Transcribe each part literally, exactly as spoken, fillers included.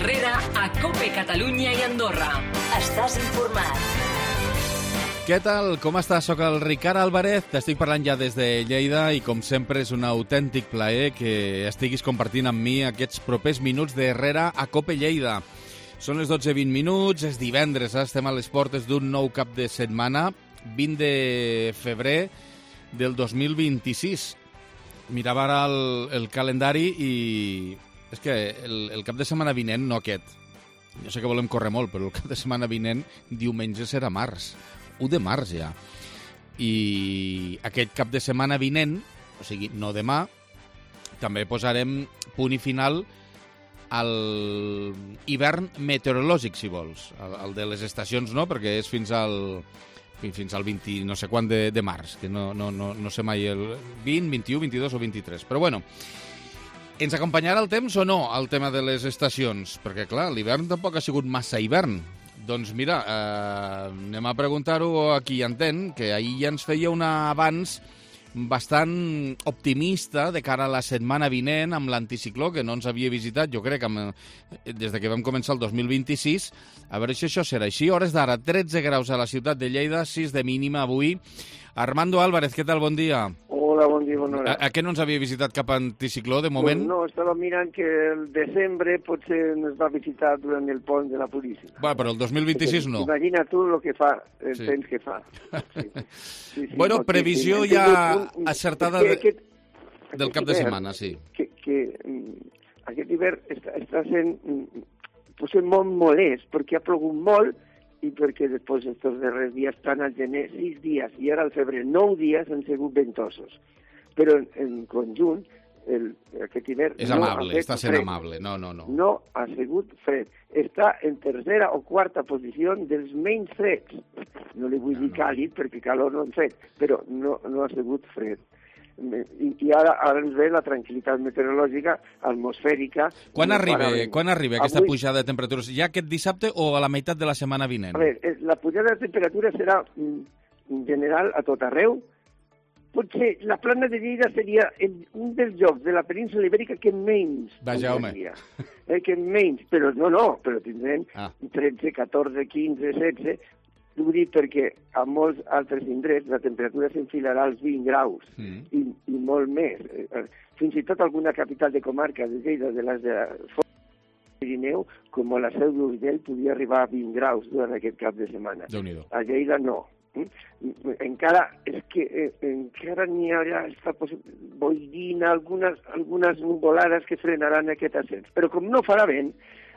Herrera a COPE Catalunya i Andorra. Estàs informat. Què tal? Com estàs? Soc el Ricard Álvarez, t'estic parlant ja des de Lleida i com sempre és un autèntic plaer que estiguis compartint amb mi aquests propers minuts de Herrera a COPE Lleida. Són les dotze i vint minuts, és divendres, eh? Estem a les portes d'un nou cap de setmana, vint de febrer del dos mil vint-i-sis. Mirava ara el, el calendari i és que el, el cap de setmana vinent, no aquest, jo sé que volem córrer molt, però el cap de setmana vinent, diumenge serà març, u de març ja. I aquest cap de setmana vinent, o sigui, no demà, també posarem punt i final al hivern meteorològic, si vols. El, el de les estacions no, perquè és fins al, fins al vint no sé quant de, de març, que no, no, no, no sé mai el vint, vint-i-u, vint-i-dos o vint-i-tres. Però bueno, ens acompanyarà el temps o no, el tema de les estacions? Perquè, clar, l'hivern tampoc ha sigut massa hivern. Doncs mira, eh, anem a preguntar-ho a qui hi entén, que ahir ja ens feia un avanç bastant optimista de cara a la setmana vinent amb l'anticicló, que no ens havia visitat, jo crec, amb, des de que vam començar el dos mil vint-i-sis. A veure si això serà així. Hores d'ara, tretze graus a la ciutat de Lleida, sis de mínima avui. Armando Álvarez, què tal? Bon dia. Hola, bon dia, bona hora. A, a què no ens havia visitat cap anticicló, de moment? Pues no, estava mirant que el desembre potser ens va visitar durant el pont de la Puríssima. Va, però el dos mil vint-i-sis no. Imagina tu el que fa, el Sí. temps que fa. Sí. Sí, sí, Bueno, no, previsió que- que- ja un- un- acertada que de- aquest- del aquest cap de hivern, setmana, sí. Que, que mm, aquest hivern està, està sent mm, potser molt molest, perquè ha plogut molt i perquè després estos darrers dies, tant al gener, sis dies, i ara al febrer, nou dies han sigut ventosos. Però en, en conjunt, el, aquest hivern... És no amable, ha fet està sent fred. amable. No, no, no. No ha sigut fred. Està en tercera o quarta posició dels menys freds. No li vull dir càlid, perquè calor no han fet, però no, no ha sigut fred. I, i ara, ara ens ve la tranquil·litat meteorològica atmosfèrica. Quan No arriba, para bé. quan arriba aquesta Avui- pujada de temperatures? Ja aquest dissabte o a la meitat de la setmana vinent? A veure, la pujada de temperatura serà mm, en general a tot arreu. Potser la plana de Lleida seria el, un dels llocs de la península ibèrica que menys Vaja, home. pujaria. Eh, que menys, però no, no, però tindrem Ah. tretze, catorze, quinze, setze. Ho dic perquè a molts altres indrets la temperatura s'enfilarà als vint graus Mm. i, i molt més. Eh, Fins i tot alguna capital de comarca de Lleida, de les de Pirineu, com la Seu d'Urgell, podia arribar a vint graus durant aquest cap de setmana. Déu-n'hi-do. A Lleida no. Mm? Encara és que eh, encara n'hi haurà esta boirina, algunes, algunes nuvolades que frenaran aquest ascens. Però com no farà vent,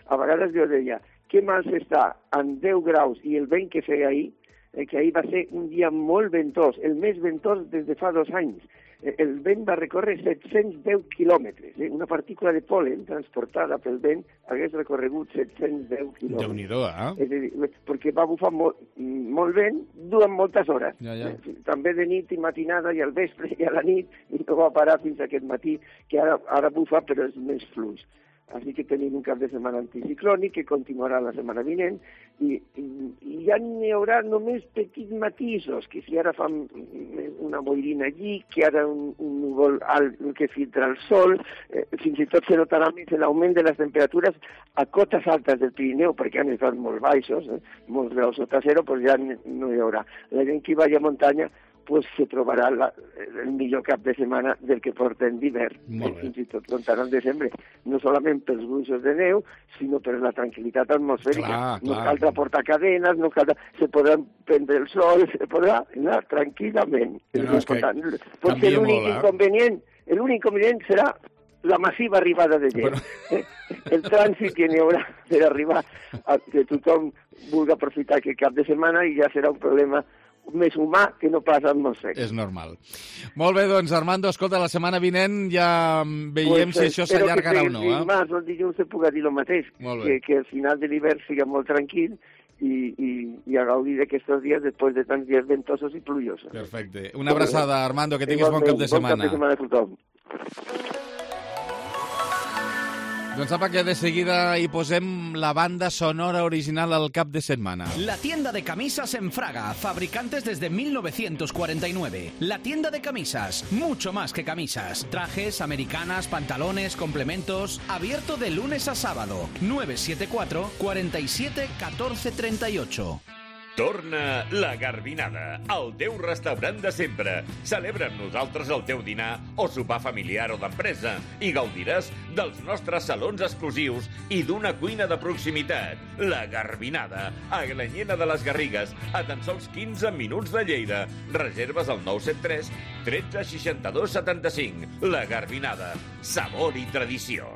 a vegades jo deia, què mal s'està amb deu graus i el vent que feia ahir, eh, que ahir va ser un dia molt ventós, el més ventós des de fa dos anys. Eh, El vent va recórrer set-cents deu quilòmetres. Eh? Una partícula de pol·len transportada pel vent hagués recorregut set-cents deu quilòmetres. Déu-n'hi-do, eh? És a dir, perquè va bufar molt, molt vent durant moltes hores. Ja, ja. Eh, També de nit i matinada i al vespre i a la nit, i no va parar fins aquest matí, que ara, ara bufa però és més fluix. Així que tenim un cap de setmana anticiclònic que continuarà la setmana vinent i, i, i ja n'hi haurà només petits matisos, que si ara fan una boirina allí, que ara un, un núvol alt que filtra el sol, eh, fins i tot se notarà més l'augment de les temperatures a cotes altes del Pirineu, perquè han estat molt baixos, eh, molts graus sota zero, doncs ja no hi haurà. La gent que vagi a muntanya pues se trobarà la, el millor cap de setmana del que porten d'hivern, Molt bé. fins i tot comptant el desembre, no solament pels gruixos de neu, sinó per la tranquil·litat atmosfèrica. Clar, no clar. caldrà portar cadenes, no caldrà, se podrà prendre el sol, se podrà anar tranquil·lament. No, no, és que Potser canvia l'únic molt, eh? inconvenient, l'únic inconvenient serà la massiva arribada de gent. Però- Eh? El trànsit que n'hi haurà per arribar a que tothom vulgui aprofitar aquest cap de setmana i ja serà un problema més humà que no pas atmosfèric. És normal. Molt bé, doncs, Armando, escolta, la setmana vinent ja veiem Pues, si això espero s'allargarà que o no, el eh? dimarts o el dilluns se puga dir el mateix, Molt que, bé. que al final de l'hivern siga molt tranquil i, i, i a gaudir d'aquests dies després de tants dies ventosos i plujosos. Perfecte. Una abraçada, Armando, que tinguis bon cap de Igualment, setmana. Bon cap de setmana a tothom. Doncs apa que de seguida hi posem la banda sonora original al cap de setmana. La tienda de camisas en Fraga, fabricantes desde mil novecientos cuarenta y nueve. La tienda de camisas, mucho más que camisas. Trajes, americanas, pantalones, complementos. Abierto de lunes a sábado. nueve siete cuatro, cuarenta y siete, catorce treinta y ocho. Torna la Garbinada, el teu restaurant de sempre. Celebra amb nosaltres el teu dinar o sopar familiar o d'empresa i gaudiràs dels nostres salons exclusius i d'una cuina de proximitat. La Garbinada, a Glanyena de les Garrigues, a tan sols quinze minuts de Lleida. Reserves al nou set tres, tretze, seixanta-dos, setanta-cinc. La Garbinada, sabor y tradició.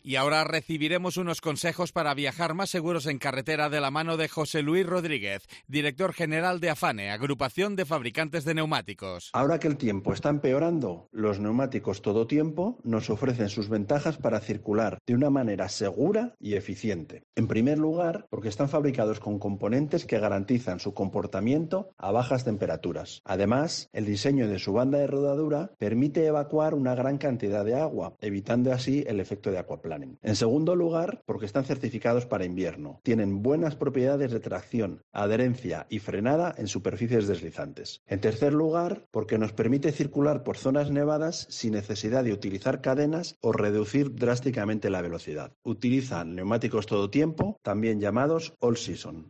Y ahora recibiremos unos consejos para viajar más seguros en carretera de la mano de José Luis Rodríguez, director general de AFANE, Agrupación de Fabricantes de Neumáticos. Ahora que el tiempo está empeorando, los neumáticos todo tiempo nos ofrecen sus ventajas para circular de una manera segura y eficiente. En primer lugar, porque están fabricados con componentes que garantizan su comportamiento a bajas temperaturas. Además, el diseño de su banda de rodadura permite evacuar una gran cantidad de agua, evitando así el efecto de aquaplaning. En segundo lugar, porque están certificados para invierno. Tienen buenas propiedades de tracción, adherencia y frenada en superficies deslizantes. En tercer lugar, porque nos permite circular por zonas nevadas sin necesidad de utilizar cadenas o reducir drásticamente la velocidad. Utilizan neumáticos todo tiempo, también llamados all season.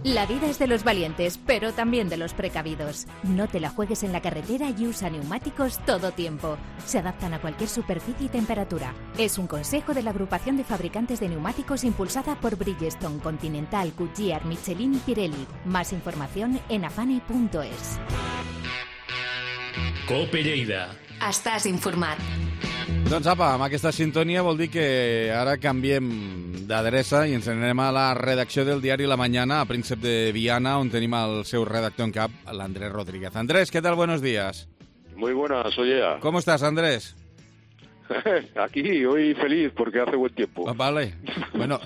La vida es de los valientes, pero también de los precavidos. No te la juegues en la carretera y usa neumáticos todo tiempo. Se adaptan a cualquier superficie y temperatura. Es un consejo de la Agrupación de Fabricantes de Neumáticos impulsada por Bridgestone, Continental, Goodyear, Michelin y Pirelli. Más información en afane punto es. Cope Lleida. Estàs informat. Doncs apa, amb aquesta sintonia vol dir que ara canviem d'adreça i ens anem a la redacció del diari La Mañana, a Príncep de Viana, on tenim el seu redactor en cap, l'Andrés Rodríguez. Andrés, ¿qué tal? Buenos días. Muy buenas, soy Ea. ¿Cómo estás, Andrés? Aquí, hoy feliz porque hace buen tiempo. Ah, vale. Bueno,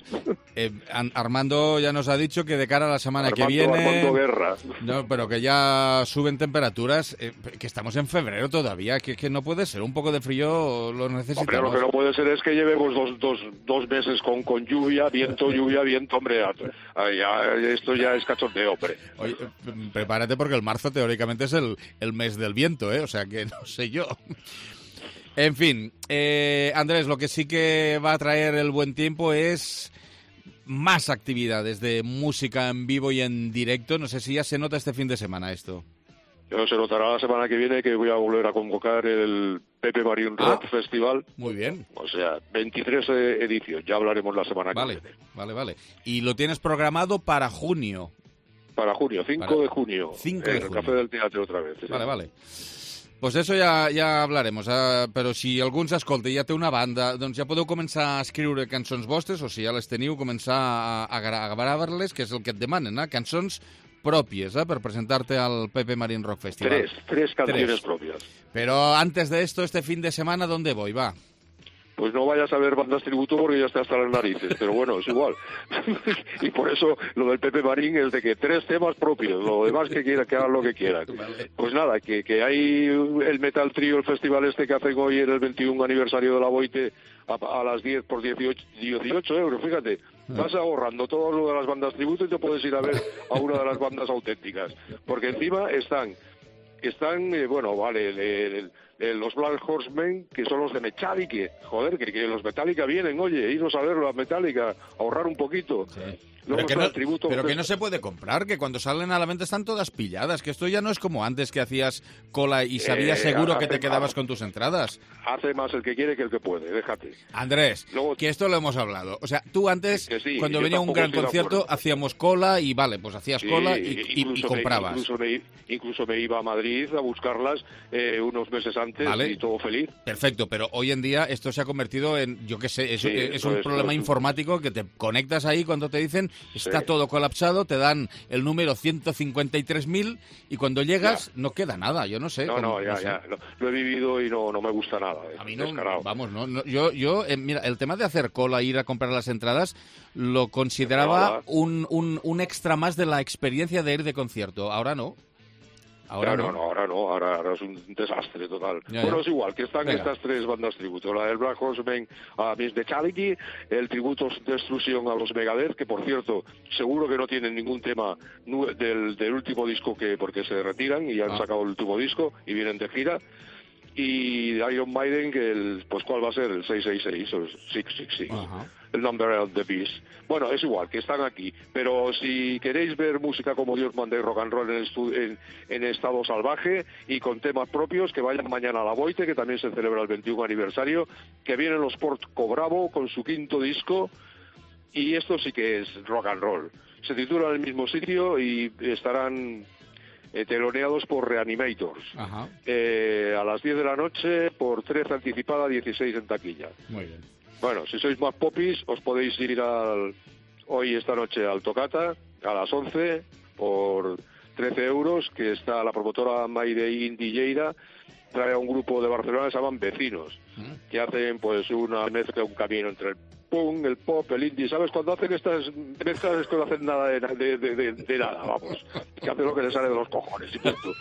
eh, Armando ya nos ha dicho que de cara a la semana Armando, que viene... Armando Guerra. No, pero que ya suben temperaturas, eh, que estamos en febrero todavía, que, que no puede ser. Un poco de frío lo necesitamos. Hombre, lo que no puede ser es que llevemos dos, dos, dos meses con, con lluvia, viento, lluvia, viento. Hombre, ya, esto ya es cachondeo, hombre. Oye, prepárate porque el marzo teóricamente es el, el mes del viento, ¿eh? O sea que no sé yo... En fin, eh, Andrés, lo que sí que va a traer el buen tiempo es más actividades de música en vivo y en directo. No sé si ya se nota este fin de semana esto. Yo se notará la semana que viene que voy a volver a convocar el Pepe Marín Rock ah, Festival. Muy bien. O sea, veintitrés ediciones. Ya hablaremos la semana vale, que viene. Vale, vale. Y lo tienes programado para junio. Para junio, cinco para... de junio. cinco de en junio. el Café del Teatro otra vez. Vale, sí. vale. Pues eso ja, ja hablaremos, eh? Però si algú ens escolta i ja té una banda, doncs ja podeu començar a escriure cançons vostres, o si ja les teniu, començar a, a, a gravar-les, que és el que et demanen, eh? Cançons pròpies, eh? Per presentar-te al Pepe Marín Rock Festival. Tres, tres canciones tres. propias. Pero antes de esto, este fin de semana, ¿dónde voy? Va. Pues no vayas a ver bandas tributo porque ya está hasta las narices, pero bueno, es igual. Y por eso lo del Pepe Marín es de que tres temas propios, lo demás que quieran, que hagan lo que quieran. Vale. Pues nada, que, que hay el Metal Trio, el festival este que hacen hoy en el veintiún aniversario de la Boite a, a las diez por dieciocho euros, fíjate. Vas ahorrando todo lo de las bandas tributo y te puedes ir a ver a una de las bandas auténticas. Porque encima están, están eh, bueno, vale, el... el Eh, los Black Horsemen, que son los de Metallica. Joder, que, que los Metallica vienen, oye, iros a verlo a Metallica, ahorrar un poquito. Sí. Luego pero que, no, tributo, pero que no se puede comprar, que cuando salen a la venta están todas pilladas, que esto ya no es como antes que hacías cola y sabías eh, seguro que te quedabas con tus entradas. Hace más el que quiere que el que puede, déjate. Andrés, Luego, que esto lo hemos hablado. O sea, tú antes, sí, cuando venía un gran concierto, hacíamos cola y vale, pues hacías sí, cola y, y, y comprabas. Me, incluso, me, incluso me iba a Madrid a buscarlas eh, unos meses antes vale. Y todo feliz. Perfecto, pero hoy en día esto se ha convertido en, yo qué sé, es, sí, es un es, problema es, informático que te conectas ahí cuando te dicen está sí. todo colapsado, te dan el número ciento cincuenta y tres mil y cuando llegas ya. no queda nada, yo no sé. No, como, no, ya, no sé. ya, lo, lo he vivido y no, no me gusta nada. Eh, a mí no, descarado. vamos, no, no yo, yo eh, mira, el tema de hacer cola, ir a comprar las entradas, lo consideraba un, un, un extra más de la experiencia de ir de concierto, ahora no. Ahora no, no. no, ahora no, ahora, ahora es un desastre total. Ya, bueno, ya. es igual, que están Venga. estas tres bandas tributo, la del Black Horseman a Miss Metallic, el tributo Destruction a los Megadeth, que por cierto, seguro que no tienen ningún tema nu- del, del último disco, que porque se retiran y han Ah. sacado el último disco y vienen de gira. Y Iron Maiden, que el, pues ¿cuál va a ser? El seiscientos sesenta y seis o el seiscientos sesenta y seis. Ajá. El Number of the Beast. Bueno, es igual, que están aquí. Pero si queréis ver música como Dios manda y rock and roll en, estu- en, en estado salvaje y con temas propios, que vayan mañana a la Boite, que también se celebra el veintiuno aniversario, que vienen los Porco Bravo con su quinto disco, y esto sí que es rock and roll. Se titula en el mismo sitio y estarán eh, teloneados por Reanimators. Ajá. Eh, a las diez de la noche, por trece anticipada, dieciséis en taquilla. Muy bien. Bueno, si sois más popis, os podéis ir al, hoy, esta noche, al Tocata, a las once, por trece euros, que está la promotora Mayday Indie Lleida, trae a un grupo de Barcelona que se llaman Vecinos, que hacen pues una mezcla, un camino entre el punk, el pop, el indie. ¿Sabes? Cuando hacen estas mezclas es que no hacen nada de, de, de, de, de nada, vamos. Que hacen lo que les sale de los cojones y punto.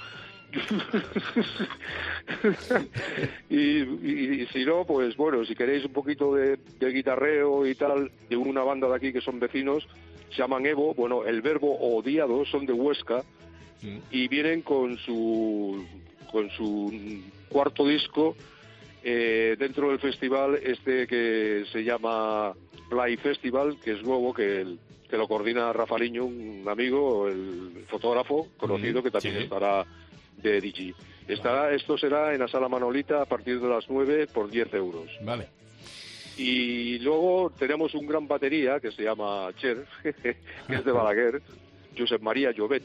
y, y, y si no, pues bueno, si queréis un poquito de, de guitarreo y tal, de una banda de aquí que son Vecinos, se llaman Evo, bueno, el Verbo Odiado, son de Huesca, y vienen con su con su cuarto disco eh, dentro del festival este que se llama Play Festival, que es nuevo, que el, que lo coordina Rafaliño, un amigo, el fotógrafo conocido, que también sí. estará de D J. Estará, esto será en la Sala Manolita a partir de las nueve por diez euros. Vale. Y luego tenemos un gran batería que se llama Cher, que es de Balaguer, Josep María Llobet.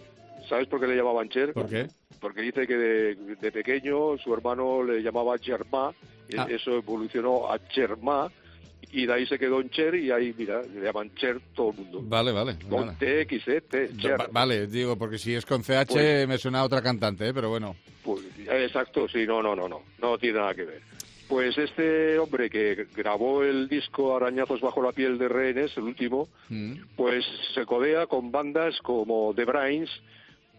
¿Sabes por qué le llamaban Cher? ¿Por qué? Porque dice que de, de pequeño su hermano le llamaba Germà, Ah. eso evolucionó a Chermà, y de ahí se quedó en Cher, y ahí, mira, le llaman Cher todo el mundo. Vale, vale. Con Vale. T X, ¿eh? T, Cher. Va- vale, digo, porque si es con C H Pues- me suena a otra cantante, ¿eh? Pero bueno. Pues, exacto, sí, no, no, no, no, no tiene nada que ver. Pues este hombre que grabó el disco Arañazos bajo la piel de rehenes, el último, Mm. pues se codea con bandas como The Brains,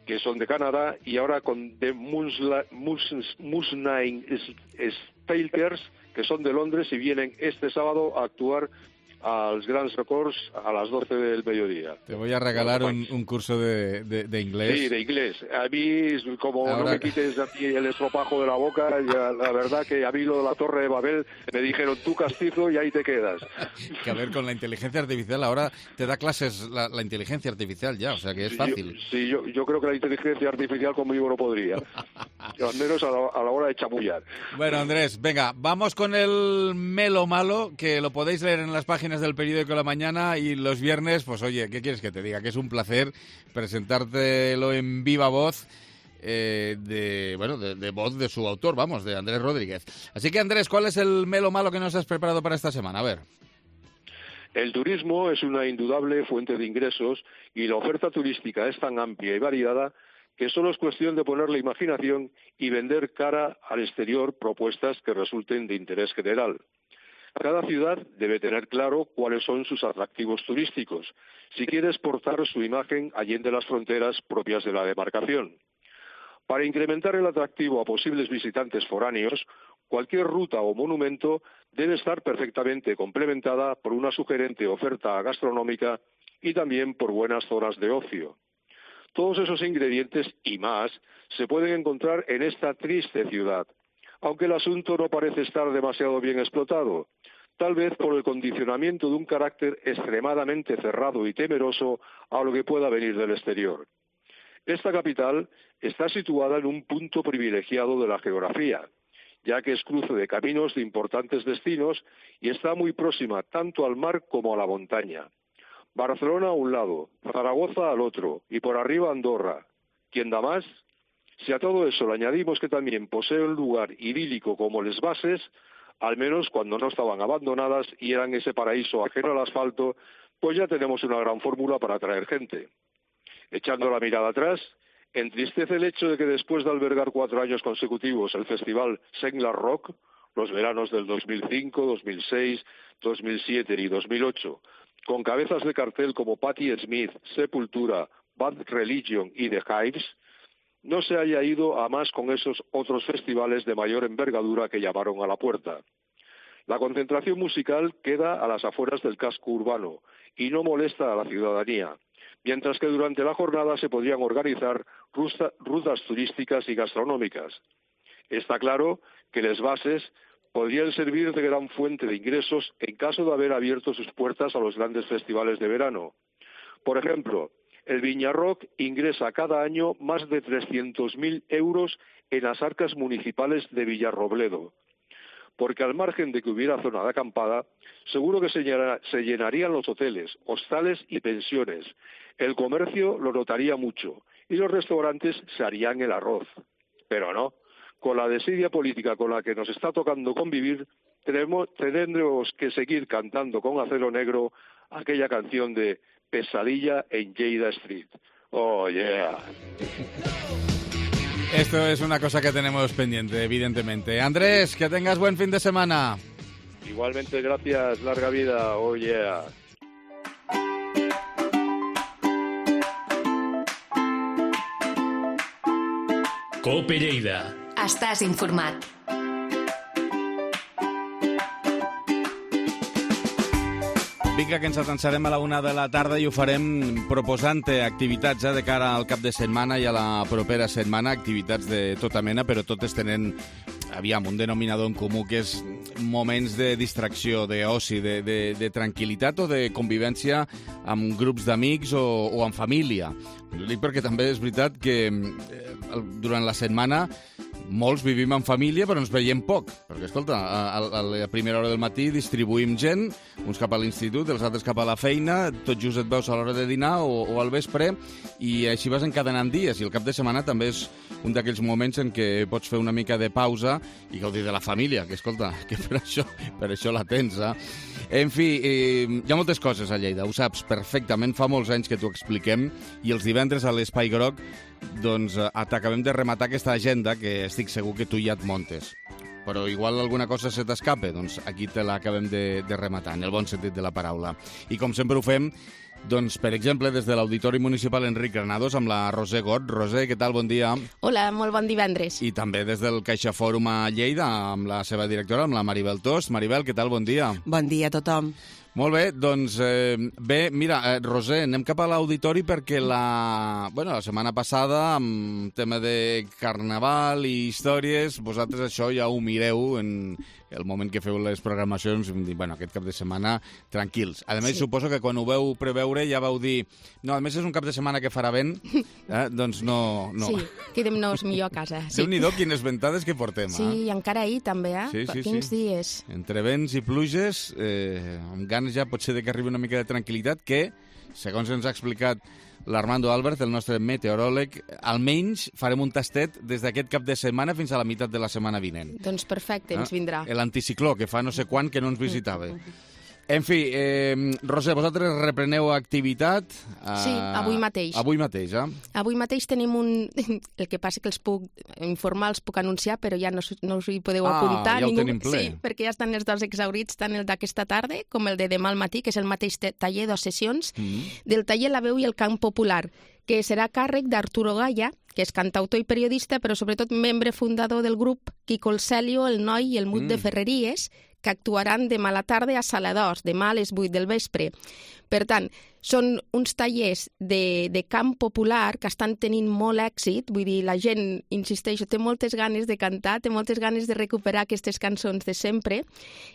que son de Canadá, y ahora con The Musla- Mus- Musnine Stalkers, que son de Londres, y vienen este sábado a actuar a los Grands Records a las doce del mediodía. Te voy a regalar un, un curso de, de, de inglés. Sí, de inglés. A mí, como Ahora- no me quites a ti el estropajo de la boca, ya, la verdad que a mí lo de la Torre de Babel me dijeron tú castizo y ahí te quedas. Que a ver, con la inteligencia artificial ahora te da clases la, la inteligencia artificial ya, o sea que es fácil. Yo, sí, yo, yo creo que la inteligencia artificial conmigo no podría. Al menos a la, a la hora de chamullar. Bueno, Andrés, venga, vamos con el Melo Malo, que lo podéis leer en las páginas del periódico La Mañana, y los viernes, pues oye, ¿qué quieres que te diga? Que es un placer presentártelo en viva voz, eh, de bueno, de, de voz de su autor, vamos, de Andrés Rodríguez. Así que, Andrés, ¿cuál es el Melo Malo que nos has preparado para esta semana? A ver. El turismo es una indudable fuente de ingresos y la oferta turística es tan amplia y variada que solo es cuestión de poner la imaginación y vender cara al exterior propuestas que resulten de interés general. Cada ciudad debe tener claro cuáles son sus atractivos turísticos, si quiere exportar su imagen allende las fronteras propias de la demarcación. Para incrementar el atractivo a posibles visitantes foráneos, cualquier ruta o monumento debe estar perfectamente complementada por una sugerente oferta gastronómica y también por buenas zonas de ocio. Todos esos ingredientes y más se pueden encontrar en esta triste ciudad, aunque el asunto no parece estar demasiado bien explotado, tal vez por el condicionamiento de un carácter extremadamente cerrado y temeroso a lo que pueda venir del exterior. Esta capital está situada en un punto privilegiado de la geografía, ya que es cruce de caminos de importantes destinos y está muy próxima tanto al mar como a la montaña. Barcelona a un lado, Zaragoza al otro, y por arriba Andorra. ¿Quién da más? Si a todo eso le añadimos que también posee un lugar idílico como Les Bases, al menos cuando no estaban abandonadas y eran ese paraíso ajeno al asfalto, pues ya tenemos una gran fórmula para atraer gente. Echando la mirada atrás, entristece el hecho de que después de albergar cuatro años consecutivos el festival Sengla Rock, los veranos del dos mil cinco, dos mil seis, dos mil siete y dos mil ocho, con cabezas de cartel como Patti Smith, Sepultura, Bad Religion y The Hives, no se haya ido a más con esos otros festivales de mayor envergadura que llamaron a la puerta. La concentración musical queda a las afueras del casco urbano y no molesta a la ciudadanía, mientras que durante la jornada se podrían organizar rutas turísticas y gastronómicas. Está claro que las bases podrían servir de gran fuente de ingresos en caso de haber abierto sus puertas a los grandes festivales de verano. Por ejemplo, el Viñarrock ingresa cada año más de trescientos mil euros en las arcas municipales de Villarrobledo, porque al margen de que hubiera zona de acampada, seguro que se, llena, se llenarían los hoteles, hostales y pensiones. El comercio lo notaría mucho y los restaurantes se harían el arroz. Pero no, con la desidia política con la que nos está tocando convivir, tenemos, tendremos que seguir cantando con acero negro aquella canción de Pesadilla en Lleida Street. Oh, yeah. Esto es una cosa que tenemos pendiente, evidentemente. Andrés, que tengas buen fin de semana. Igualmente, gracias. Larga vida. Oh, yeah. Cope Lleida. Estàs informat. Vinga, que ens atansarem a la una de la tarda i ho farem proposant activitats eh, de cara al cap de setmana i a la propera setmana, activitats de tota mena, però totes tenen, aviam, un denominador en comú, que és moments de distracció, d'oci, de, de, de tranquil·litat o de convivència amb grups d'amics o, o amb família. Ho dic perquè també és veritat que eh, durant la setmana molts vivim en família, però ens veiem poc. Perquè, escolta, a, a la primera hora del matí distribuïm gent, uns cap a l'institut, els altres cap a la feina, tot just et veus a l'hora de dinar o, o al vespre, i així vas encadenant dies. I el cap de setmana també és un d'aquells moments en què pots fer una mica de pausa i gaudir de la família, que, escolta, que per això, per això la tens, eh? En fi, eh, hi ha moltes coses a Lleida, ho saps perfectament, fa molts anys que t'ho expliquem, i els divendres a l'Espai Groc doncs eh, t'acabem de rematar aquesta agenda que estic segur que tu ja et montes. Però igual alguna cosa se t'escape, doncs aquí te l'acabem de, de rematar, en el bon sentit de la paraula. I com sempre ho fem, doncs, per exemple, des de l'Auditori Municipal Enric Granados amb la Roser Got. Roser, què tal? Bon dia. Hola, molt bon divendres. I també des del Caixa Fòrum a Lleida amb la seva directora, amb la Maribel Tost. Maribel, què tal? Bon dia. Bon dia a tothom. Molt bé, doncs eh, bé, mira, eh, Roser, anem cap a l'auditori perquè la, bueno, la setmana passada, amb tema de carnaval i històries, vosaltres això ja ho mireu en el moment que feu les programacions, bueno, aquest cap de setmana, tranquils. A més, sí. Suposo que quan ho veu preveure ja vau dir, no, a més és un cap de setmana que farà vent, eh? Doncs no... no. Sí, quedem-nos millor a casa. Sí. Déu-n'hi-do, quines ventades que portem. Sí, eh? i encara ahir també, eh? Sí, sí, Quins sí. dies. Entre vents i pluges, eh, amb ganes ja potser de que arribi una mica de tranquil·litat, que, segons ens ha explicat l'Armando Albert, el nostre meteoròleg, almenys farem un tastet des d'aquest cap de setmana fins a la meitat de la setmana vinent. Doncs perfecte, ens vindrà. Eh? L'anticicló, que fa no sé quan que no ens visitava. En fi, eh, Roser, vosaltres repreneu activitat? Eh, sí, avui mateix. Avui mateix, eh? Avui mateix tenim un... El que passa que els puc informar, els puc anunciar, però ja no, no us hi podeu ah, apuntar. Ah, ja ningú... ho tenim ple. Sí, perquè ja estan els dos exaurits, tant el d'aquesta tarda com el de demà al matí, que és el mateix taller, dos sessions, mm-hmm. del taller La Veu i el Cant Popular, que serà càrrec d'Arturo Gaya, que és cantautor i periodista, però sobretot membre fundador del grup Quico el Celio, el Noi i el Mut mm. de Ferreries, que actuaran demà a la tarda a Sala d'Os, demà a les vuit del vespre. Per tant, són uns tallers de, de camp popular que estan tenint molt èxit, vull dir, la gent, insisteixo, té moltes ganes de cantar, té moltes ganes de recuperar aquestes cançons de sempre,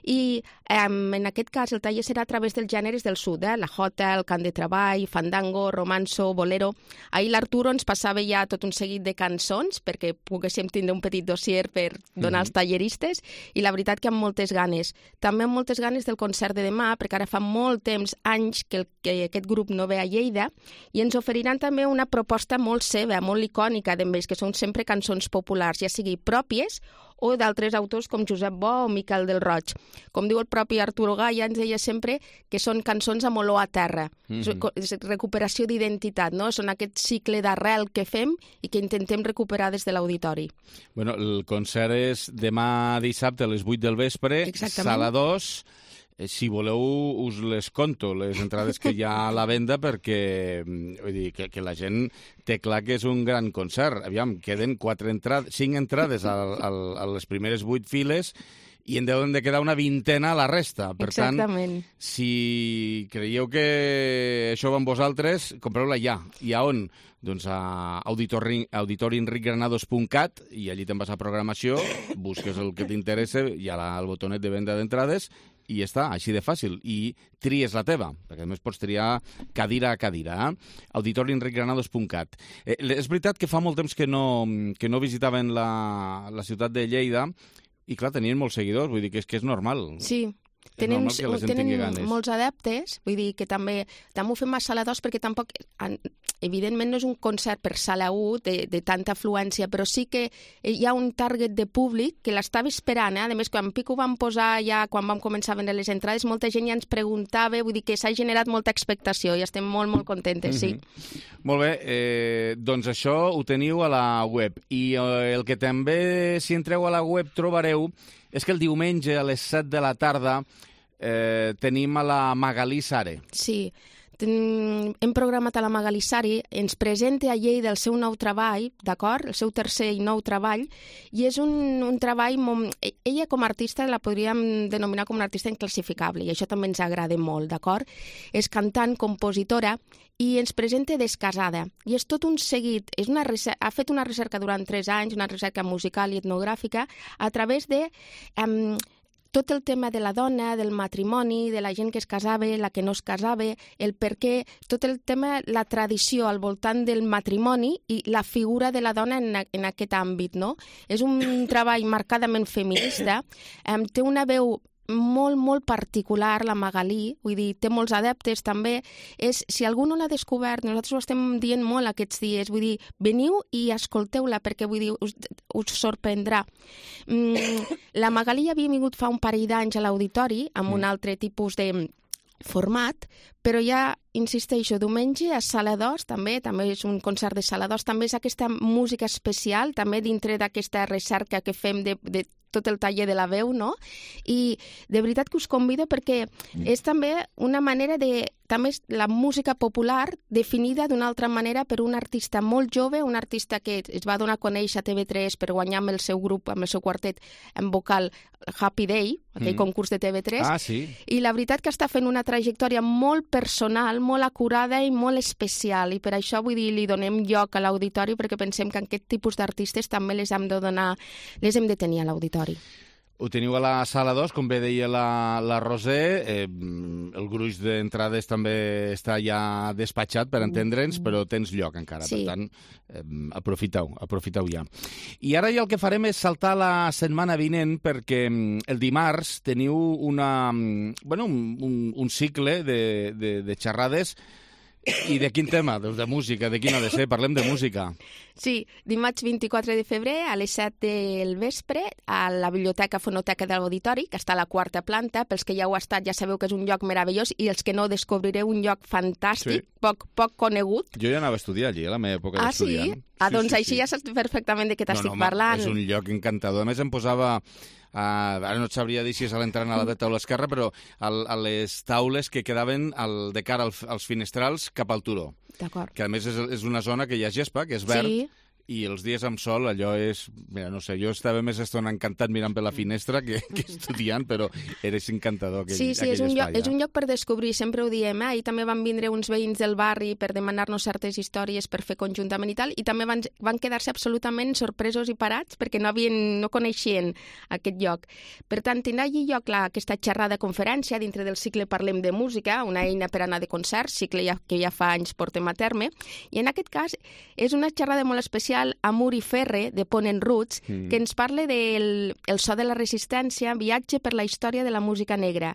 i eh, en aquest cas el taller serà a través dels gèneres del sud, eh? La jota, el cant de treball, fandango, romanzo, bolero. Ahir l'Arturo ens passava ja tot un seguit de cançons perquè poguéssim tindre un petit dossier per donar mm-hmm. als talleristes, i la veritat que amb moltes ganes. També amb moltes ganes del concert de demà, perquè ara fa molt temps, anys, que, el, que aquest grup no ve a Lleida, i ens oferiran també una proposta molt seva, molt icònica d'ells, que són sempre cançons populars, ja sigui pròpies o d'altres autors com Josep Bo o Miquel del Roig. Com diu el propi Arturo Gaya, ens deia sempre que són cançons amb olor a terra, mm-hmm. és recuperació d'identitat, no? Són aquest cicle d'arrel que fem i que intentem recuperar des de l'auditori. Bueno, el concert és demà dissabte a les vuit del vespre, exactament. Sala dos. si voleu us les conto, les entrades que hi ha a la venda, perquè vull dir, que, que la gent té clar que és un gran concert. Aviam, queden quatre entrades, cinc entrades a, a, a les primeres vuit files i en deuen de quedar una vintena a la resta. Per Exactament. tant, si creieu que això va amb vosaltres, compreu-la ja. I a on? Doncs a auditori enric granados punt cat i allí te'n vas a programació, busques el que t'interessa, hi ha la, el botonet de venda d'entrades i ja està, així de fàcil. I tries la teva, perquè a més pots triar cadira a cadira. Eh? auditori enric granados punt cat. Eh, és veritat que fa molt temps que no, que no visitaven la, la ciutat de Lleida i, clar, tenien molts seguidors, vull dir que és, que és normal. Sí. Tenen, tenen molts adeptes, vull dir que també, també ho fem a sala dos perquè tampoc, evidentment no és un concert per sala u de, de tanta afluència, però sí que hi ha un target de públic que l'estava esperant, eh? A més, quan Pico vam posar ja, quan vam començar a vendre les entrades, molta gent ja ens preguntava, vull dir que s'ha generat molta expectació i estem molt, molt contentes, sí. Mm-hmm. Molt bé, eh, doncs això ho teniu a la web i eh, el que també, si entreu a la web, trobareu és que el diumenge a les set de la tarda eh, tenim a la Magalí Sare. Sí, ten... hem programat a la Magalí Sare, ens presenta a Lleida el seu nou treball, d'acord? El seu tercer i nou treball, i és un, un treball... Molt... Ella com a artista la podríem denominar com una artista inclassificable, i això també ens agrada molt, d'acord? És cantant, compositora, i ens presenta Descasada. I és tot un seguit, és una recerca, ha fet una recerca durant tres anys, una recerca musical i etnogràfica, a través de um, tot el tema de la dona, del matrimoni, de la gent que es casava, la que no es casava, el per què, tot el tema, la tradició al voltant del matrimoni i la figura de la dona en, en aquest àmbit, no? És un treball marcadament feminista, um, té una veu molt, molt particular, la Magalí, vull dir, té molts adeptes també. És, si algú no l'ha descobert, nosaltres ho estem dient molt aquests dies, vull dir, veniu i escolteu-la perquè, vull dir, us, us sorprendrà. Mm, la Magalí havia vingut fa un parell d'anys a l'auditori amb un altre tipus de format, però ja, insisteixo, diumenge a Sala dos, també, també és un concert de Sala dos, també és aquesta música especial, també dintre d'aquesta recerca que fem de, de tot el taller de la veu, no? I de veritat que us convido perquè és també una manera de... També és la música popular definida d'una altra manera per un artista molt jove, un artista que es va donar a conèixer a T V tres per guanyar amb el seu grup, amb el seu quartet en vocal Happy Day, aquell mm. concurs de T V tres. Ah, sí. I la veritat que està fent una trajectòria molt personal, molt acurada i molt especial. I per això, vull dir, li donem lloc a l'auditori perquè pensem que aquest tipus d'artistes també les hem de donar, les hem de tenir a l'auditori. Ho teniu a la Sala dos, com bé deia la, la Roser, eh, el gruix d'entrades també està ja despatxat, per entendre'ns, però tens lloc encara, sí. Per tant, eh, aprofiteu, aprofiteu ja. I ara ja el que farem és saltar la setmana vinent, perquè el dimarts teniu una, bueno, un, un, un cicle de, de, de xerrades. I de quin tema? Doncs de música, de quin ha de ser? Parlem de música. Sí, dimarts vint-i-quatre de febrer a les set del vespre a la Biblioteca Fonoteca de l'Auditori, que està a la quarta planta. Pels que ja heu estat ja sabeu que és un lloc meravellós i els que no descobrireu un lloc fantàstic, sí. poc, poc conegut. Jo ja anava a estudiar allí, a la meva època ah, d'estudiant. Sí? Ah, sí, doncs sí, així sí. Ja saps perfectament de què t'estic no, no, parlant. És un lloc encantador. A més, em posava... Uh, ara no et sabria dir si és a l'entrant a la dreta o a l'esquerra, però al, a les taules que quedaven al, de cara al, als finestrals cap al turó. D'acord. Que a més és, és una zona que hi ha gespa, que és verd, sí. I els dies amb sol allò és... Mira, no sé, jo estava més estona encantat mirant per la finestra que, que estudiant, però eres encantador aquell, sí, sí, aquell és un espai. Lloc, és un lloc per descobrir, sempre ho diem, eh? I també van vindre uns veïns del barri per demanar-nos certes històries per fer conjuntament i tal, i també van, van quedar-se absolutament sorpresos i parats perquè no, havien, no coneixien aquest lloc. Per tant, tindrà allí lloc la, aquesta xerrada conferència dintre del cicle Parlem de Música, una eina per anar de concerts, cicle ja, que ja fa anys portem a terme, i en aquest cas és una xerrada molt especial amb Uri Ferre, de Ponent Roots, mm. que ens parla del el so de la resistència, viatge per la història de la música negra.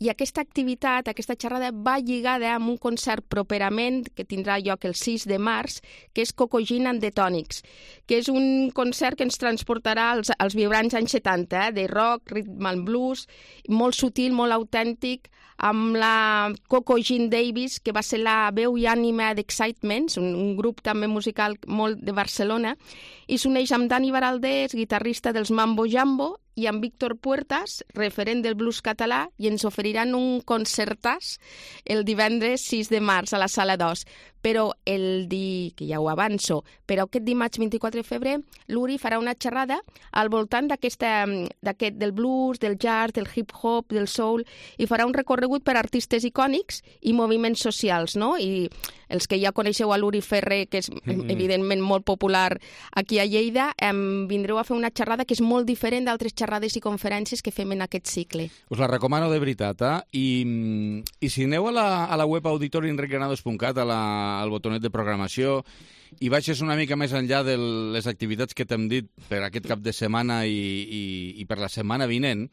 I aquesta activitat, aquesta xerrada, va lligada amb un concert properament, que tindrà lloc el sis de març, que és Cocogin and the Tonics, que és un concert que ens transportarà als, als vibrants anys setanta, eh, de rock, rhythm and blues, molt sutil, molt autèntic, amb la Coco Jean Davis, que va ser la veu i ànima d'Excitements, un, un grup també musical molt de Barcelona, i s'uneix amb Dani Baraldés, guitarrista dels Mambo Jambo, i en Víctor Puertas, referent del blues català, i ens oferiran un concertàs el divendres sis de març a la Sala dos. Però el di... que ja ho avanço, però aquest dimarts vint-i-quatre de febrer l'Uri farà una xerrada al voltant d'aquesta d'aquest del blues, del jazz, del hip-hop, del soul, i farà un recorregut per artistes icònics i moviments socials, no? I els que ja coneixeu a l'Uri Ferrer, que és mm-hmm. evidentment molt popular aquí a Lleida, em vindreu a fer una xerrada que és molt diferent d'altres xerrades i conferències que fem en aquest cicle. Us la recomano de veritat, eh? I, i si aneu a la, a la web auditori enric granados punt cat, a la, al botonet de programació, i baixes una mica més enllà de les activitats que t'hem dit per aquest cap de setmana i, i, i per la setmana vinent,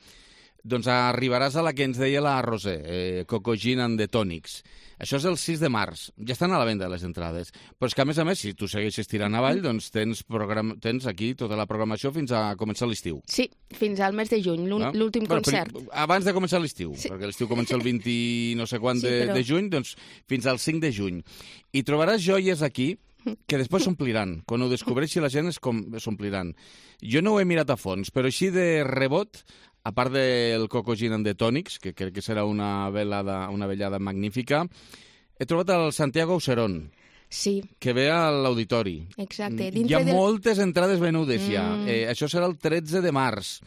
doncs arribaràs a la que ens deia la Roser, eh, Coco Gin and the Tonics. Això és el sis de març. Ja estan a la venda les entrades. Però és que, a més a més, si tu segueixes tirant avall, doncs tens, program... tens aquí tota la programació fins a començar l'estiu. Sí, fins al mes de juny, l'últim no? concert. Bueno, abans de començar l'estiu, sí. perquè l'estiu comença el vint no sé quan sí, de, però... de juny, doncs fins al cinc de juny. I trobaràs joies aquí que després s'ompliran. Quan ho descobreixi la gent s'ompliran. Jo no ho he mirat a fons, però així de rebot, a part del Coco Gin and the Tonics, que crec que serà una velada, una vellada magnífica, he trobat el Santiago Auserón, sí. que ve a l'auditori. Exacte. Dintre Hi ha del... moltes entrades venudes ja. Mm. Eh, això serà el tretze de març.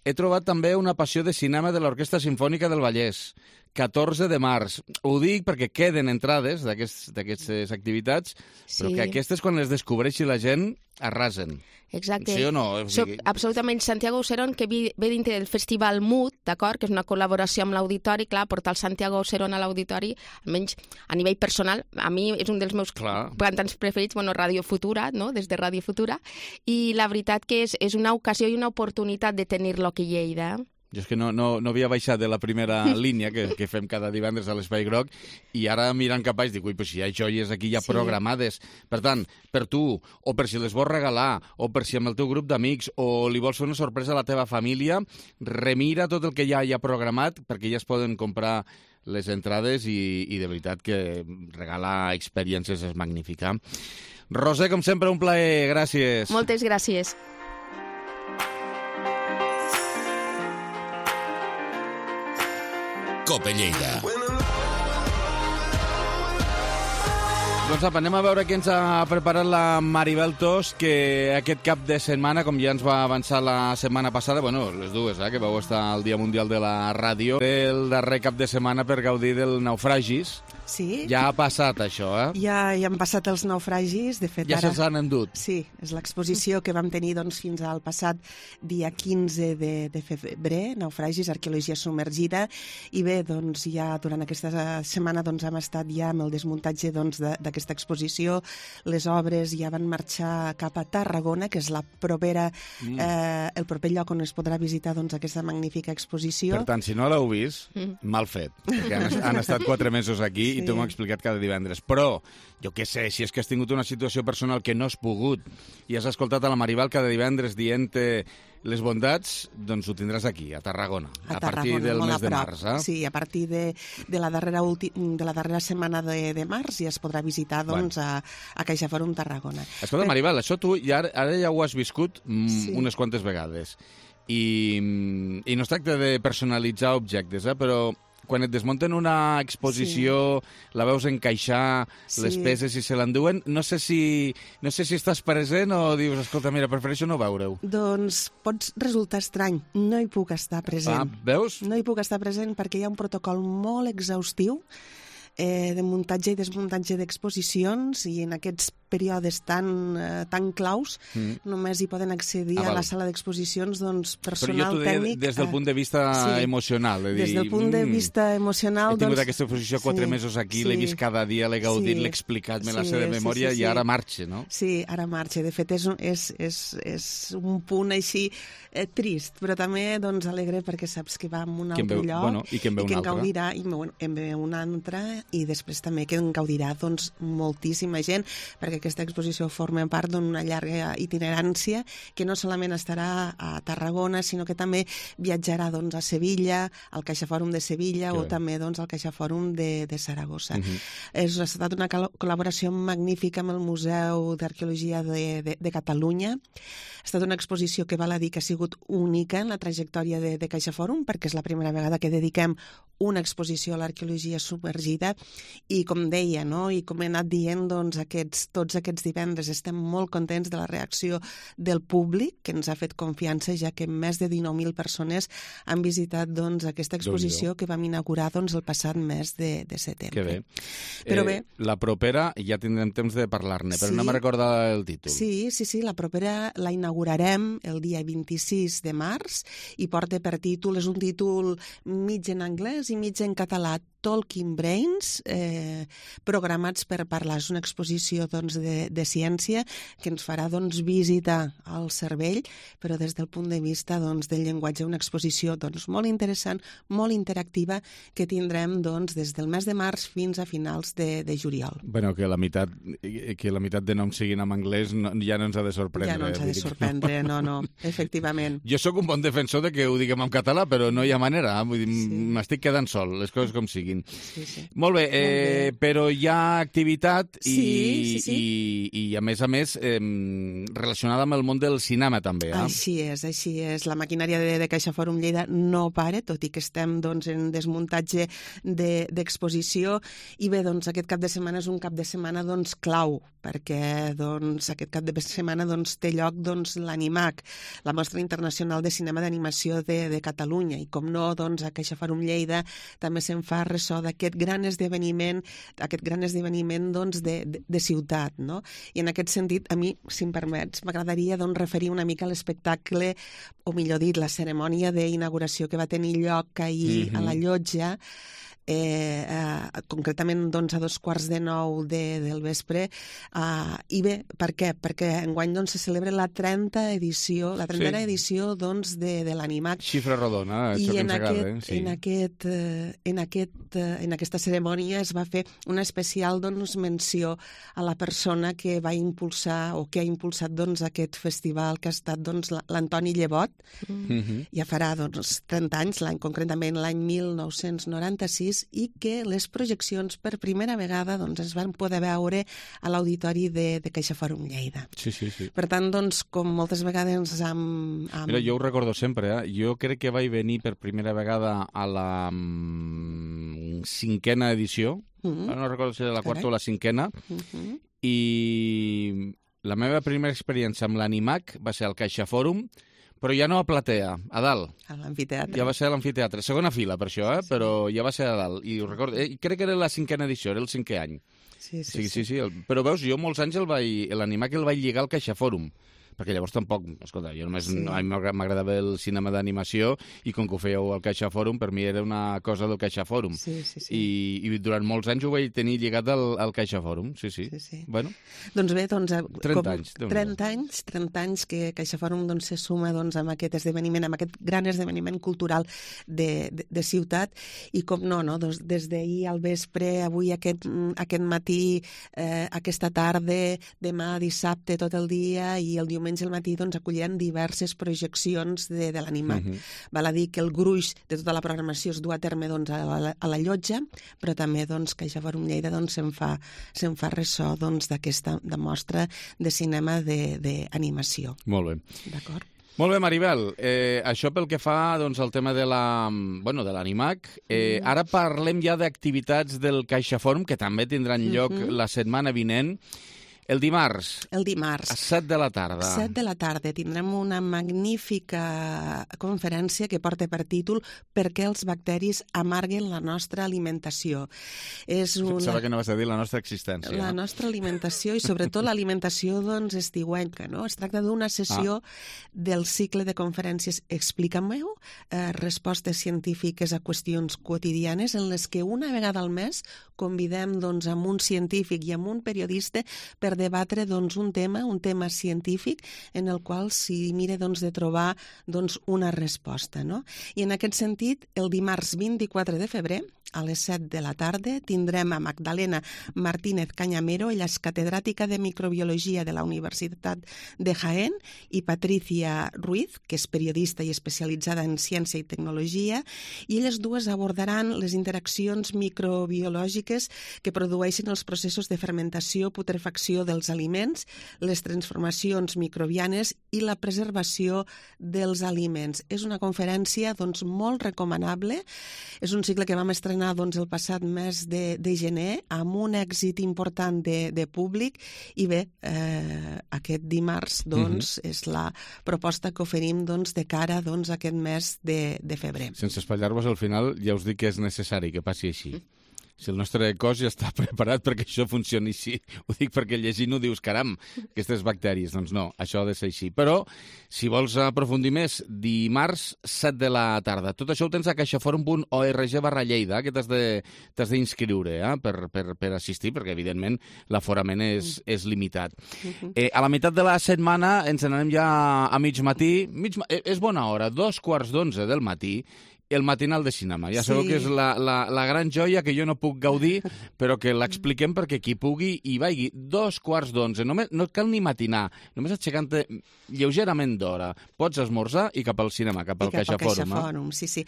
He trobat també una passió de cinema de l'Orquestra Simfònica del Vallès, catorze de març. Ho dic perquè queden entrades d'aquestes activitats, sí. però que aquestes, quan les descobreixi la gent, arrasen. Exacte. Sí o no? O sigui... Soc absolutament Santiago Auserón, que ve dintre del Festival Mood, d'acord? Que és una col·laboració amb l'auditori, clar, portar el Santiago Auserón a l'auditori, almenys a nivell personal, a mi és un dels meus clar. cantants preferits, bueno, Radio Futura, no?, des de Radio Futura, i la veritat que és, és una ocasió i una oportunitat de tenir-lo aquí a Lleida. Jo és que no, no, no havia baixat de la primera línia que, que fem cada divendres a l'Espai Groc i ara mirant cap baix dic, ui, pues si hi ha joies aquí ja sí. programades. Per tant, per tu, o per si les vols regalar, o per si amb el teu grup d'amics, o li vols fer una sorpresa a la teva família, remira tot el que ja hi ha programat perquè ja es poden comprar les entrades i, i de veritat que regalar experiències és magnífica. Roser, com sempre, un plaer. Gràcies. Moltes gràcies. Cope Lleida. Doncs apa, anem a veure què ens ha preparat la Maribel Tos, que aquest cap de setmana, com ja ens va avançar la setmana passada, bueno, les dues, eh, que vau estar al Dia Mundial de la Ràdio, el darrer cap de setmana per gaudir del Naufragis. Sí. Ja ha passat això, eh? Ja, ja han passat els naufragis, de fet ja ara... Ja se'ls han endut. Sí, és l'exposició que vam tenir doncs, fins al passat dia quinze de, de febrer, naufragis, arqueologia submergida, i bé, doncs ja durant aquesta setmana doncs, hem estat ja amb el desmuntatge doncs, d'aquesta exposició, les obres ja van marxar cap a Tarragona, que és la propera, mm. eh, el proper lloc on es podrà visitar doncs, aquesta magnífica exposició. Per tant, si no l'heu vist, mm. mal fet, perquè han, han estat quatre mesos aquí, i tu m'ho has explicat cada divendres. Però, jo què sé, si és que has tingut una situació personal que no has pogut i has escoltat a la Maribel cada divendres dient-te les bondats, doncs ho tindràs aquí, a Tarragona, a, a partir Tarragona, del mes de març. Eh? Sí, a partir de, de, la darrera ulti, de la darrera setmana de, de març ja es podrà visitar doncs, bueno. a, a CaixaForum Tarragona. Escolta, Però... Maribel, això tu ja, ara ja ho has viscut mm, sí. unes quantes vegades. I, I no es tracta de personalitzar objectes, eh? Però quan et desmunten una exposició, sí. la veus encaixar, sí. les peces i se l'enduen, no sé si no sé si estàs present o dius, escolta, mira, prefereixo no veure-ho. Doncs pot resultar estrany, no hi puc estar present. Ah, veus? No hi puc estar present perquè hi ha un protocol molt exhaustiu eh, de muntatge i desmuntatge d'exposicions i en aquests períodes tan, eh, tan claus, mm. només hi poden accedir ah, a la sala d'exposicions doncs, personal, tècnic... Des del punt de vista eh, sí, emocional. De dir, des del punt de vista emocional... He tingut doncs, aquesta exposició quatre sí, mesos aquí, sí, l'he vist cada dia, l'he gaudit, sí, l'he explicat, me sí, la sé de memòria sí, sí, sí. i ara marxa, no? Sí, ara marxa. De fet, és, és, és, és un punt així eh, trist, però també doncs, alegre perquè saps que va a un altre veu, lloc bueno, i que en ve i que un en altre. Gaudirà, i en ve un altre i després també que en gaudirà doncs, moltíssima gent, perquè perquè aquesta exposició forma part d'una llarga itinerància que no solament estarà a Tarragona, sinó que també viatjarà doncs, a Sevilla, al CaixaFòrum de Sevilla que o bé. també doncs, al CaixaFòrum de, de Saragossa. Uh-huh. És, ha estat una col·laboració magnífica amb el Museu d'Arqueologia de, de, de Catalunya. Ha estat una exposició que val a dir que ha sigut única en la trajectòria de, de CaixaFòrum, perquè és la primera vegada que dediquem una exposició a l'arqueologia submergida i, com deia, no? I com he anat dient, doncs, aquests, tots aquests divendres estem molt contents de la reacció del públic, que ens ha fet confiança, ja que més de dinou mil persones han visitat doncs, aquesta exposició que vam inaugurar doncs, el passat mes de, de setembre. Que bé. Però eh, bé. La propera ja tindrem temps de parlar-ne, però sí, no me recorda el títol. Sí, sí, sí, la propera la inaugurarem el dia vint-i-sis de març i porta per títol, és un títol mig en anglès i mig en català, Talking Brains, eh, programats per parlar. És una exposició doncs, de, de ciència que ens farà doncs, visitar el cervell, però des del punt de vista doncs, del llenguatge, una exposició doncs, molt interessant, molt interactiva, que tindrem doncs, des del mes de març fins a finals de, de juliol. Bueno, que la meitat, que la meitat de noms siguin en anglès no, ja no ens ha de sorprendre. Ja no ens ha de sorprendre, no, no, efectivament. Jo sóc un bon defensor de que ho diguem en català, però no hi ha manera, vull dir, sí. m'estic quedant sol, les coses com siguin. Sí, sí. Molt bé, eh, Molt bé, però hi ha activitat i, sí, sí, sí. i, i a més a més eh, relacionada amb el món del cinema també. Eh? Així és, així és. La maquinària de, de CaixaFòrum Lleida no para, tot i que estem doncs, en desmuntatge d'exposició de, i bé, doncs, aquest cap de setmana és un cap de setmana doncs, clau, perquè doncs, aquest cap de setmana doncs, té lloc doncs, l'Animac, la Mostra Internacional de Cinema d'Animació de, de Catalunya, i com no, doncs, a CaixaFòrum Lleida també se'n fa ressò d'aquest gran esdeveniment, aquest gran esdeveniment doncs, de, de, de ciutat, no? I en aquest sentit, a mi, si em permets, m'agradaria doncs, referir una mica a l'espectacle, o millor dit, la cerimònia d'inauguració que va tenir lloc ahir mm-hmm. a la Llotja, Eh, eh, concretament doncs, a dos quarts de nou de, del vespre, eh, i bé, per què? Perquè enguany doncs, se celebra la trenta edició, la trentena sí. edició doncs, de, de l'Animac. Xifra rodona, això I que en ens aquest, agrada. Sí. En, aquest, eh, en, aquest, eh, en aquesta cerimònia es va fer una especial doncs, menció a la persona que va impulsar o que ha impulsat doncs, aquest festival, que ha estat doncs, l'Antoni Llevot. Mm-hmm. Ja farà doncs, trenta anys, l'any concretament l'any mil nou-cents noranta-sis, i que les projeccions per primera vegada doncs, es van poder veure a l'auditori de, de CaixaFòrum Lleida. Sí, sí, sí. Per tant, doncs, com moltes vegades amb... amb... Mira, jo ho recordo sempre, eh? Jo crec que vaig venir per primera vegada a la mm, cinquena edició, mm-hmm. no recordo si era la quarta Carai. o la cinquena, mm-hmm. i la meva primera experiència amb l'Animac va ser al CaixaFòrum, però ja no a platea, a dalt. A l'amfiteatre. Ja va ser a l'amfiteatre. Segona fila, per això, eh? Sí. Però ja va ser a dalt. I ho recordo. Eh, crec que era la cinquena edició, era el cinquè any. Sí, sí, sí. sí, sí. sí el... Però veus, jo molts anys el vaig... l'Animac el vaig lligar al CaixaFòrum. Perquè llavors tampoc, escolta, jo només sí. a mi m'agradava el cinema d'animació i com que ho fèieu al CaixaFòrum, per mi era una cosa del CaixaFòrum. Sí, sí, sí. I, I durant molts anys ho vaig tenir lligat al, al CaixaFòrum, sí, sí. sí, sí. Bueno. Doncs bé, doncs... trenta anys. trenta anys, trenta anys que CaixaFòrum doncs, se suma doncs, amb aquest esdeveniment, amb aquest gran esdeveniment cultural de, de, de ciutat, i com no, no? Doncs, des d'ahir al vespre, avui aquest, aquest matí, eh, aquesta tarda, demà dissabte tot el dia i el diumenge al matí doncs, acolliran diverses projeccions de, de l'Animac. Uh-huh. Val a dir que el gruix de tota la programació es du a terme doncs, a, la, a la Llotja, però també doncs, CaixaFòrum Lleida doncs, se'n fa, se'n fa ressò doncs, d'aquesta de mostra de cinema d'animació. Molt bé. D'acord? Molt bé, Maribel. Eh, això pel que fa doncs, al tema de la, bueno, de l'Animac. Eh, mm. Ara parlem ja d'activitats del CaixaFòrum, que també tindran lloc mm-hmm. la setmana vinent. El dimarts. El dimarts. A set de la tarda. A set de la tarda tindrem una magnífica conferència que porta per títol Per què els bacteris amarguen la nostra alimentació. És una... Pensava que no vas a dir la nostra existència. La no? nostra alimentació i sobretot l'alimentació doncs, estiuenca. No? Es tracta d'una sessió ah. del cicle de conferències Explica-m'ho, eh, respostes científiques a qüestions quotidianes en les que una vegada al mes convidem doncs, amb un científic i amb un periodista per debatre doncs, un tema, un tema científic en el qual s'hi mira doncs, de trobar doncs, una resposta. No? I en aquest sentit, el dimarts vint-i-quatre de febrer a les set de la tarda. Tindrem a Magdalena Martínez Cañamero, ella és catedràtica de microbiologia de la Universitat de Jaén, i Patricia Ruiz, que és periodista i especialitzada en ciència i tecnologia, i elles dues abordaran les interaccions microbiològiques que produeixen els processos de fermentació, putrefacció dels aliments, les transformacions microbianes i la preservació dels aliments. És una conferència doncs, molt recomanable. És un cicle que vam estrenar doncs, el passat mes de, de gener amb un èxit important de, de públic i bé, eh, aquest dimarts doncs, mm-hmm. és la proposta que oferim doncs, de cara doncs, a aquest mes de, de febrer. Sense espatllar-vos, al final ja us dic que és necessari que passi així. Mm. Si el nostre cos ja està preparat perquè això funcioni així. Ho dic perquè llegint-ho dius, caram, aquestes bactèries. Doncs no, això ha de ser així. Però, si vols aprofundir més, dimarts, set de la tarda. Tot això ho tens a caixaforum punt org barra Lleida, que t'has d'inscriure eh, per, per, per assistir, perquè, evidentment, l'aforament és, és limitat. Eh, a la meitat de la setmana ens n'anem ja a mig matí. Mig, és bona hora, dos quarts d'onze del matí, el matinal de cinema. Ja sabeu sí. que és la, la, la gran joia que jo no puc gaudir, però que l'expliquem perquè qui pugui hi vagi. Dos quarts d'onze. Només, no cal ni matinar. Només aixecant-te lleugerament d'hora. Pots esmorzar i cap al cinema, cap al Caixafòrum. Eh? Sí, sí.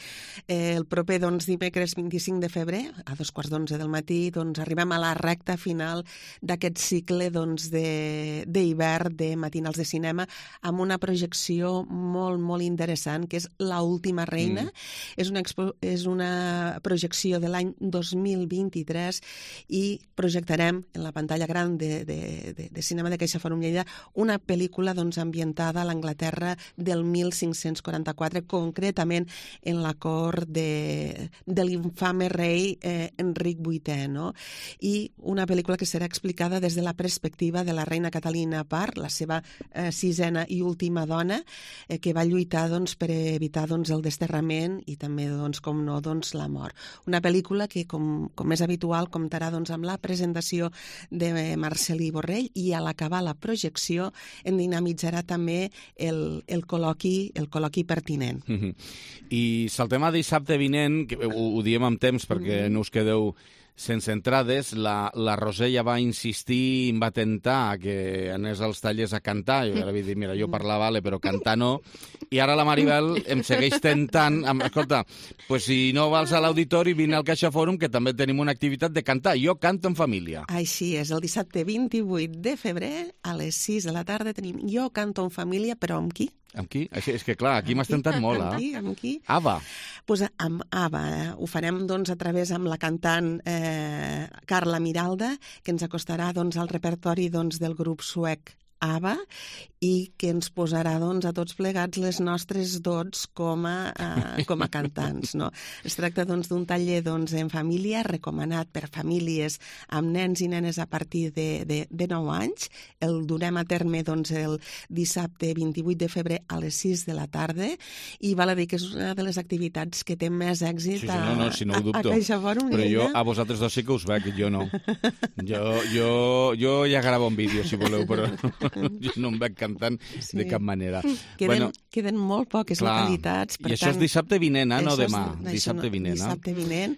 Eh, el proper doncs, dimecres vint-i-cinc de febrer, a dos quarts d'onze del matí, doncs, arribem a la recta final d'aquest cicle doncs, d'hivern de, de matinals de cinema amb una projecció molt, molt interessant, que és La última reina. Mm. És una, expo, és una projecció de l'any dos mil vint-i-tres i projectarem en la pantalla gran de, de, de, de cinema de Caixafòrum Lleida una pel·lícula doncs, ambientada a l'Anglaterra del mil cinc-cents quaranta-quatre, concretament en la cort de, de l'infame rei eh, Enric vuitè, no? I una pel·lícula que serà explicada des de la perspectiva de la reina Catalina Parr, la seva eh, sisena i última dona, eh, que va lluitar doncs, per evitar doncs, el desterrament i també, doncs, com no, doncs, la mort. Una pel·lícula que, com, com és habitual, comptarà doncs, amb la presentació de Marcel·lí Borrell i a l'acabar la projecció en dinamitzarà també el, el, col·loqui, el col·loqui pertinent. Mm-hmm. I saltem a dissabte vinent, que ho, ho diem amb temps perquè mm-hmm. no us quedeu sense entrades, la, la Roser ja va insistir i em va tentar que anés als tallers a cantar. Jo ara vaig dir, mira, jo parlar vale, però cantar no. I ara la Maribel em segueix tentant. Amb, escolta, pues si no vas a l'auditori, vine al Caixafòrum, que també tenim una activitat de cantar. Jo canto en família. Així és, el dissabte vint-i-vuit de febrer, a les sis de la tarda, tenim Jo canto en família, però amb qui? Amb qui? Així, és que clar, aquí m'has tentat molt, eh? Amb qui? Amb qui? Ava. Pues amb Ava. Eh? Ho farem doncs, a través amb la cantant eh, Carla Miralda, que ens acostarà doncs, al repertori doncs, del grup suec Ava i que ens posarà doncs, a tots plegats les nostres dots com a, uh, com a cantants. No? Es tracta doncs, d'un taller doncs, en família, recomanat per famílies amb nens i nenes a partir de, de, de nou anys. El durem a terme doncs, el dissabte vint-i-vuit de febrer a les sis de la tarda i val a dir que és una de les activitats que té més èxit sí, sí, no, no, si no ho dubto. a, a Caixafòrum. Però jo a vosaltres dos sí que us veig, jo no. Jo, jo, jo ja gravo un vídeo, si voleu, però jo no em veig cantant sí. de cap manera. Queden, bueno, queden molt poques clar, localitats. Per I això tant, és dissabte vinent, eh? No és, demà. Dissabte vinent. Dissabte vinent.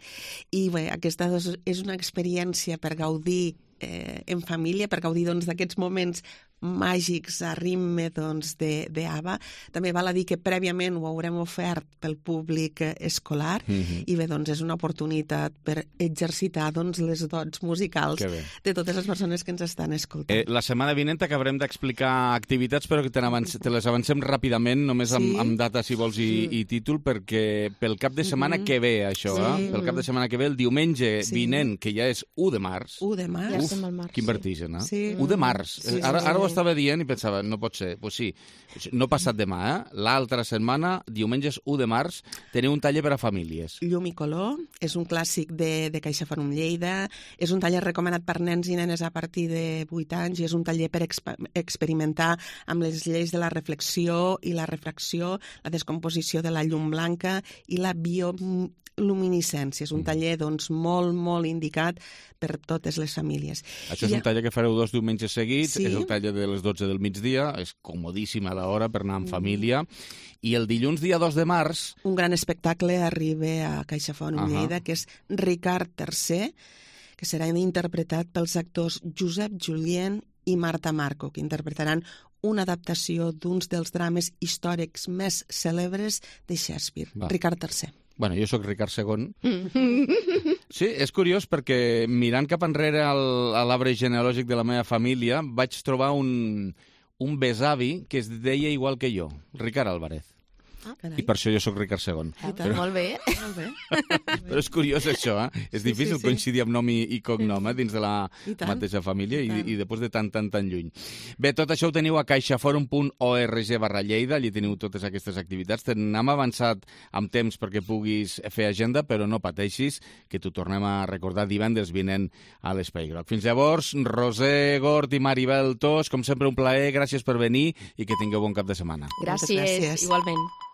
I bé, aquesta és una experiència per gaudir eh, en família, per gaudir doncs, d'aquests moments màgics a ritme doncs, de, de Ava. També val a dir que prèviament ho haurem ofert pel públic escolar mm-hmm. i bé, doncs és una oportunitat per exercitar doncs, les dots musicals de totes les persones que ens estan escoltant. Eh, la setmana vinent acabarem d'explicar activitats, però que te, te les avancem ràpidament, només amb, sí? amb data, si vols, i, i títol, perquè pel cap de setmana mm-hmm. que ve, això, sí. eh? Pel cap de setmana que ve, el diumenge sí. vinent, que ja és u de març. u de març. Uf, ja març, quin vertigen, eh? Sí. u de març. Sí, sí, ara, ara ho estava dient i pensava, no pot ser. Pues sí, no passat demà, eh? L'altra setmana, diumenge u de març, teniu un taller per a famílies. Llum i color, és un clàssic de, de Caixafòrum Lleida, és un taller recomanat per nens i nenes a partir de vuit anys i és un taller per exp experimentar amb les lleis de la reflexió i la refracció, la descomposició de la llum blanca i la bioluminescència. És un taller doncs, molt, molt indicat per totes les famílies. Això és I un taller que fareu dos diumenges seguits, sí. És el taller de les dotze del migdia, és comodíssima l'hora per anar en família, i el dilluns, dia dos de març... Un gran espectacle arriba a CaixaFont uh -huh. Lleida, que és Ricard tercer, que serà interpretat pels actors Josep Julien i Marta Marco, que interpretaran una adaptació d'uns dels drames històrics més cèlebres de Shakespeare, Va. Ricard tercer. Bueno, jo sóc Ricard segon. Sí, és curiós perquè mirant cap enrere al, a l'arbre genealògic de la meva família vaig trobar un, un besavi que es deia igual que jo, Ricard Álvarez. Ah, I per això jo sóc Ricard segon. Ah, però... Molt bé. Molt bé. Però és curiós això, eh? És sí, difícil sí, sí. coincidir amb nom i, i cognom eh? dins de la mateixa família i, i, i després de tan, tan, tan lluny. Bé, tot això ho teniu a caixaforum punt org barra Lleida, allí teniu totes aquestes activitats. N'hem avançat amb temps perquè puguis fer agenda, però no pateixis, que t'ho tornem a recordar divendres vinent a l'Espai Groc. Fins llavors, Roser Gort i Maribel Tos, com sempre un plaer, gràcies per venir i que tingueu bon cap de setmana. Gràcies, gràcies. Igualment.